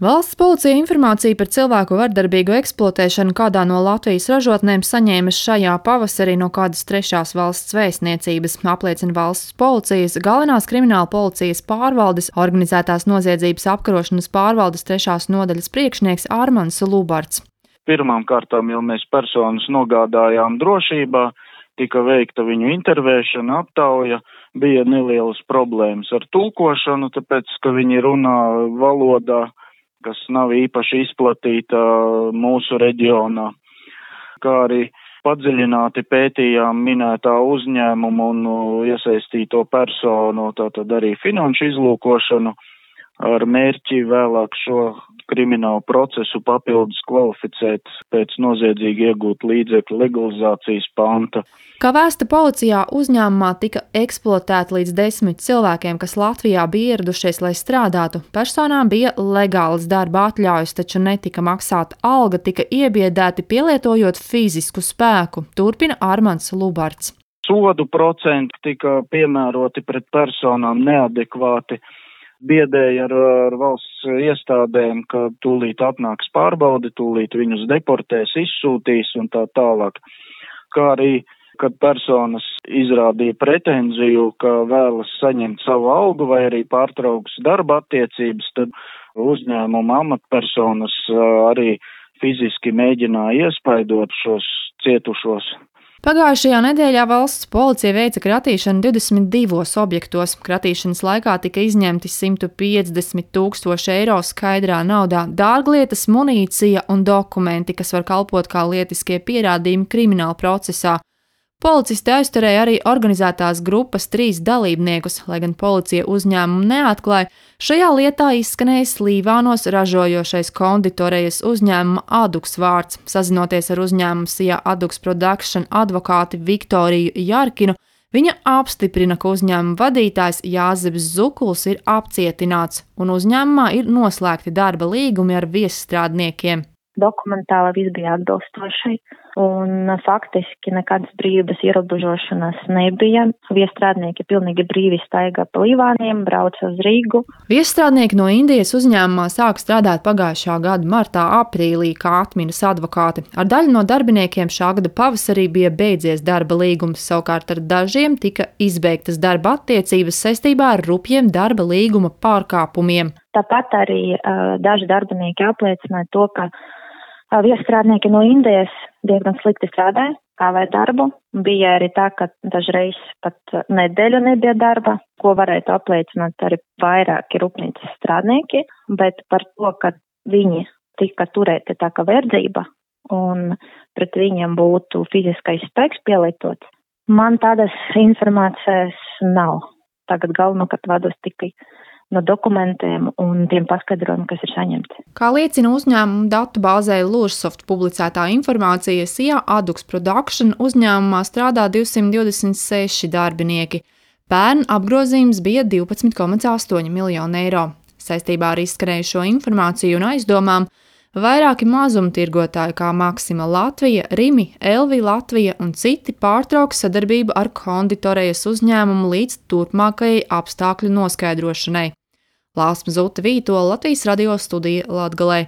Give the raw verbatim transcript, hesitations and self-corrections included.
Valsts policija informāciju par cilvēku vardarbīgu eksploatēšanu kādā no Latvijas ražotnēm saņēma šajā pavasarī no kādas trešās valsts vēstniecības, apliecina valsts policijas galvenās krimināla policijas pārvaldes organizētās noziedzības apkarošanas pārvaldes trešās nodaļas priekšnieks Armands Lubarts. Pirmām kārtām jau mēs personas nogādājām drošībā, tika veikta viņu intervēšana, aptauja, bija nelielas problēmas ar tulkošanu, tāpēc, ka viņi runā valodā, kas nav īpaši izplatīta mūsu reģionā, kā arī padziļināti pētījām minētā uzņēmumu un iesaistīto personu, tātad arī finanšu izlūkošanu, ar mērķi vēlāk šo kriminālu procesu papildus kvalificēt pēc noziedzīgi iegūt līdzekļu legalizācijas panta. Kā vēsta policijā, uzņēmumā tika eksploatēti līdz desmit cilvēkiem, kas Latvijā bija ieradušies, lai strādātu. Personām bija legālas darba atļaujas, taču netika maksāta alga, tika iebiedēti pielietojot fizisku spēku, turpina Armands Lubarts. Sodu procenti tika piemēroti pret personām neadekvāti. Biedēja ar, ar valsts iestādēm, ka tūlīt atnāks pārbaude, tūlīt viņus deportēs, izsūtīs un tā tālāk. Kā arī, kad personas izrādīja pretenziju, ka vēlas saņemt savu algu vai arī pārtrauks darba attiecības, tad uzņēmuma amatpersonas arī fiziski mēģināja iespaidot šos cietušos. Pagājušajā nedēļā valsts policija veica kratīšanu divdesmit divos objektos. Kratīšanas laikā tika izņemti simt piecdesmit tūkstoši eiro skaidrā naudā, dārglietas, munīcija un dokumenti, kas var kalpot kā lietiskie pierādījumi krimināla procesā. Policisti aizturēja arī organizētās grupas trīs dalībniekus, lai gan policija uzņēmumu neatklāja. Šajā lietā izskanējis Līvānos ražojošais konditorejas uzņēmuma Aduks vārds. Sazinoties ar uzņēmumu Sija Aduks Production advokāti Viktoriju Jarkinu, viņa apstiprina, ka uzņēmuma vadītājs Jāzeps Zukuls ir apcietināts un uzņēmumā ir noslēgti darba līgumi ar viesstrādniekiem. Dokumentāli viss bija atbilstoši un faktiski nekādas brīvības ierobežošanas nebija. Viesstrādnieki pilnīgi brīvi staigā pa Līvāniem, brauca uz Rīgu. Viesstrādnieki no Indijas uzņēmumā sāk strādāt pagājušā gada martā, aprīlī, kā atminas advokāti. Ar daļu no darbiniekiem šā gada pavasarī bija beidzies darba līgums, savukārt ar dažiem tika izbeigtas darba attiecības saistībā ar rupjiem darba līguma pārkāpumiem. Tāpat arī uh, daži darbinieki apliecināja to, ka uh, viesstrādnieki no Indijas diezgan slikti strādāja, kavē darbu. Bija arī tā, ka dažreiz pat nedēļu nebija darba, ko varētu apliecināt arī vairāki rūpnīcas strādnieki, bet par to, ka viņi tika turēti tā kā verdzība un pret viņiem būtu fiziskais spēks pielietots, man tādas informācijas nav. Tagad galvenokārt vados tikai no dokumentiem un tiem paskaidrojumiem, kas ir saņemti. Kā liecina uzņēmuma datu bāzē Lūrsoft publicētā informācija, Sija Aduks Production uzņēmumā strādā divsimt divdesmit seši darbinieki. Pērn apgrozījums bija divpadsmit komats astoņi miljoni eiro. Saistībā ar izskanējušo informāciju un aizdomām vairāki mazumtirgotāji kā Maksima Latvija, Rimi, Elvi Latvija un citi pārtrauks sadarbību ar konditorejas uzņēmumu līdz turpmākajai apstākļu noskaidrošanai. Lāsma Zute Vītola, Latvijas radio studija Latgalē.